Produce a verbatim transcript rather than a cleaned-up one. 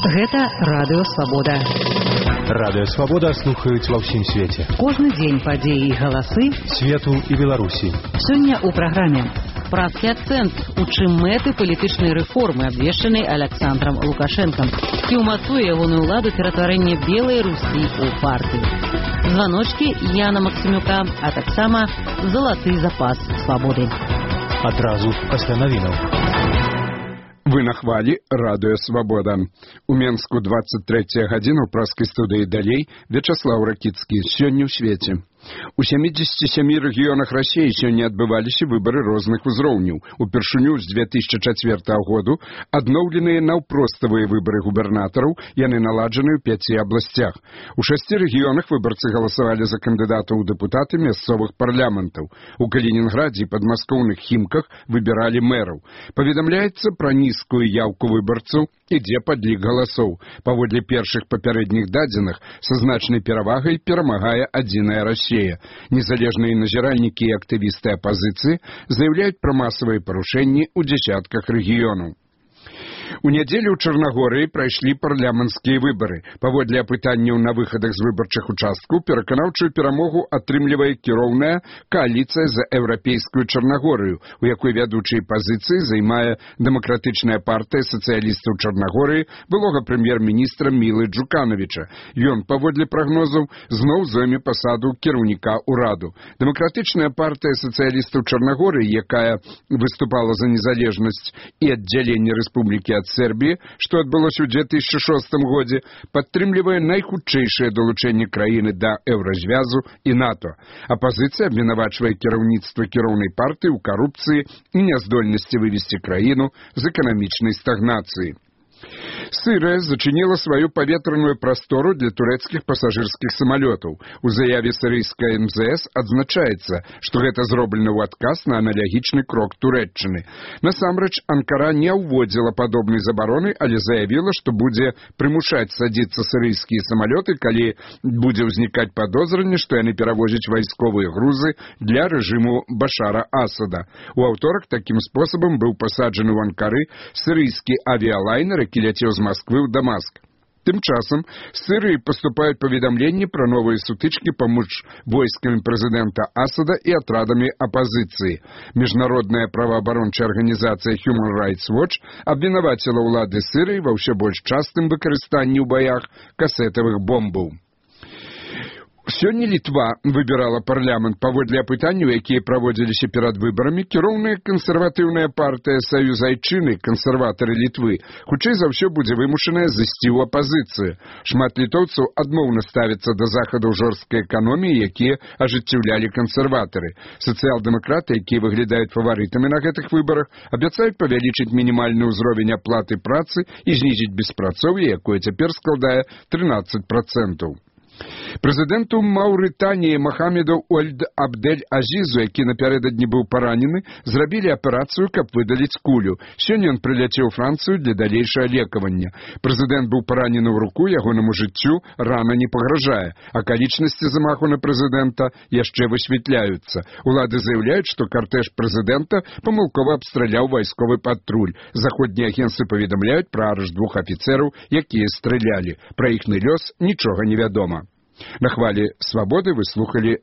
Гэта Радыё Свабода. Радыё Свабода слухаюць ва ўсім свеце. Кожны дзень падзеі і галасы свету і Беларусі. Сёння ў праграме «Правкі акцэнт», у чым мэты палітычнай рэформы, абвешчанай Александром Лукашэнкам, ці ўмацуе ягоную ўладу ператварэнне белай Русі ў партыю. Званочкі Яна Максімюка, а таксама залаты запас свабоды. Адразу пасля навінаў. Вы на хвалі Радыё Свабода. У Менску двадцать третья гадзіна ў праскай студыі далей Вячаслаў Ракіцкі. Сёння ў свеце. У сямідзесяці сямі рэгіёнах Расіі сёння адбываліся выбары розных узроўняў. Упершыню з две тысячи чацвёртага году адноўленыя наўпроставыя выбары губернатараў, яны наладжаны ў пяці абласцях. У шасці рэгіёнах выбарцы галасавалі за кандыдатаў у дэпутаты мясцовых парламентаў. У Калінінградзе і падмаскоўных Хімках выбіралі мэраў. Паведамляецца пра нізкую яўку выбарцаў, ідзе падлік галасоў. Паводле першых папярэдніх дадзеных са значнай перавагай перамагае адзіная Расія. Незалежныя назіральнікі і актывісты апазіцыі заяўляюць пра масавыя парушэнні ў дзесятках рэгіёнаў. У нядзелю ў Чарнагорыі прайшлі парламенцкія выбары. Паводле апытанняў на выхадах з выбарчых участкаў пераканаўчую перамогу атрымлівае кіроўная кааліцыя за еўрапейскую Чарнагорыю, у якой вядучай пазіцыі займае дэмакратычная партыя сацыялістаў Чарнагорыі былога прэм'ер-міністра Мілы Джуканавіча. Ён, паводле прагнозаў, зноў зойме пасаду кіраўніка ўраду. Дэмакратычная партыя сацыялістаў Чарнагорыі, якая выступала за незалежнасць і аддзяленне рэспублікі ад Сербіі, што адбылося ў две тысячи шостым годзе, падтрымлівае найхутчэйшае далучэнне краіны да еўразвязу і НАТО. Апазіцыя абвінавачвае кіраўніцтва кіроўнай партыі ў карупцыі і няздольнасці вывесці краіну з эканамічнай стагнацыі. Сырыя зачыніла сваю паветраную прастору для турэцкіх пасажырскіх самалётаў. У заяве сірыйскай эм зэ эс адзначаецца, што гэта зроблена ў адказ на аналагічны крок Турэччыны. Насамрэч, Анкара не ўводзіла падобнай забароны, але заявіла, што будзе прымушаць садзіцца сірыйскія самалёты, калі будзе ўзнікаць падозранне, што яны перавозяць вайсковыя грузы для рэжыму Башара Асада. У аўторак такім спосабам быў пасаджаны ў Анкары сірыйскі авіялайнер, які ляцеў з Масквы ў Дамаск. Тым часам з Сірыі паступаюць паведамленні пра новыя сутычкі паміж войскамі прэзідэнта Асада і атрадамі апазіцыі. Міжнародная праваабарончая арганізацыя Human Rights Watch абвінаваціла ўлады Сірыі ва ўсё больш частым выкарыстанні ў баях касетавых бомбаў. Сёння Літва выбірала парламент. Паводле апытанняў, якія праводзіліся перад выбарамі, кіроўная кансерватыўная партыя Саюз Айчыны, кансерватары Літвы, хутчэй за ўсё будзе вымушаная зайсці ў апазіцыю. Шмат літоўцаў адмоўна ставяцца да захадаў жорсткай эканоміі, якія ажыццяўлялі кансерватары. Сацыял-дэмакраты, якія выглядаюць фаварытамі на гэтых выбарах, абяцаюць павялічыць мінімальны ўзровень аплаты працы і знізіць беспрацоўе, якое цяпер складае трынаццаць працэнтаў. Прэзідэнту Маўрытаніі Махамеду Ольд Абдель-Азізу, які напярэдадні быў паранены, зрабілі аперацыю, каб выдаліць кулю. Сёння ён прыляцеў у Францыю для далейшага лекавання. Прэзідэнт быў паранены ў руку, ягонаму жыццю рана не пагражае. Акалічнасці замаху на прэзідэнта яшчэ высвятляюцца. Улады заяўляюць, што картэж прэзідэнта памылкова абстраляў вайсковы патруль. Заходнія агенцтвы паведамляюць пра арышт двух афіцэраў, якія стралялі. Пра іхны лёс нічога не вядома. На хвалі Свабоды вы слухалі